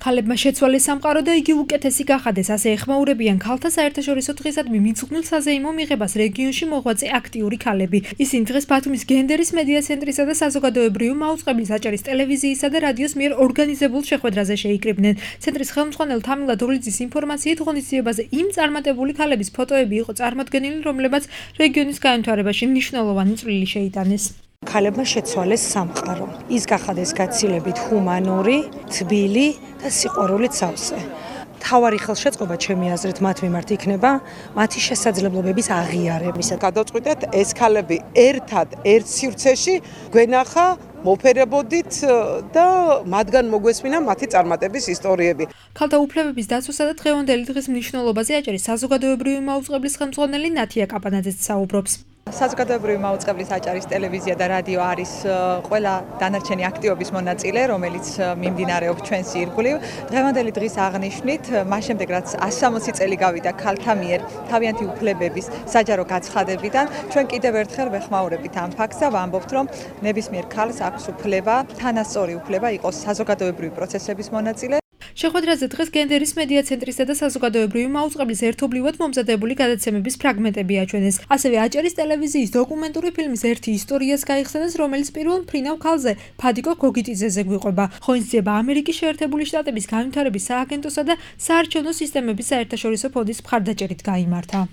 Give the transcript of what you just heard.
ქალებმა შეცვალეს სამყარო და იგი უკეთესი გახადეს, ასე ეხმაურებიან ქალთა საერთაშორისო დღისადმი მიძღვნილ საზეიმო მიღებას რეგიონში მოღვაწე აქტიური ქალები. ისინი დღეს ბათუმის გენდერის მედია ცენტრისა და საზოგადოებრივი მაუწყებლის აჭარის ტელევიზიისა და რადიოს მიერ ორგანიზებულ შეხვედრაზე შეიკრიბნენ. ცენტრის ხელმძღვანელ თამილა დოლიძის ინფორმაციით ღონისძიებაზე იმ წარმატებული ქალების ფოტოები იყო წარმოდგენილი, რომლებმაც რეგიონის განვითარებაში მნიშვნელოვანი წვლილი შეიტანეს. ქალებმა შეცვალეს სამყარო. ის გახადეს გაცილებით ჰუმანური, თბილი და სიყვარულით სავსე. თავარი ხელშეწყობა ჩემი აზრით მათ მიმართ იქნება მათი შესაძლებლობების აღიარება. გადავწყვიტეთ ეს ქალები ერთად ერთ სივრცეში გვენახა მოფერებოდით და მათგან მოგვესმინა მათი წარმატების ისტორიები. ქალთა უფლებების დაცვასა და დღევანდელი დღის მნიშვნელობაზე აჭარის საზოგადოებრივი მაუწყებლის ხელმძღვანელი ნათია კაპანაძეც საუბრობს. საზოგადოებრივი მაუწყებლის აჭარის ტელევიზია და რადიო არის ყველა დანარჩენი აქტივობის მონაწილე, რომელიც მიმდინარეობს ჩვენს ირგვლივ. დღევანდელი დღის აღნიშვნით, მას შემდეგ რაც 160 წელი გავიდა ქალთა მიერ თავიანთი უფლებების საჯარო გაცხადებიდან, ჩვენ კიდევ ერთხელ ვეხმაურებით ამ ფაქტს და ვამბობთ, რომ ნებისმიერ ქალს აქვს უფლება, თანასწორი უფლება იყოს საზოგადოებრივი პროცესების მონაწილე. შეხვედრაზე დღეს გენდერის მედია ცენტრისა და საზოგადოებრივი მაუწყებლის ერთობლივად მომზადებული გადაცემების ფრაგმენტები აჩვენეს. ასევე აჭარის ტელევიზიის დოკუმენტური ფილმის ერთი ისტორიას გაიხსენეს, რომელიც პირველ მფრინავ ქალზე ფადიკო გოგიტიძეზე გვიყვება. ღონისძიება ამერიკის შეერთებული შტატების განვითარების სააგენტოსა და საარჩევნო სისტემების საერთაშორისო ფონდის მხარდაჭერით გაიმართა.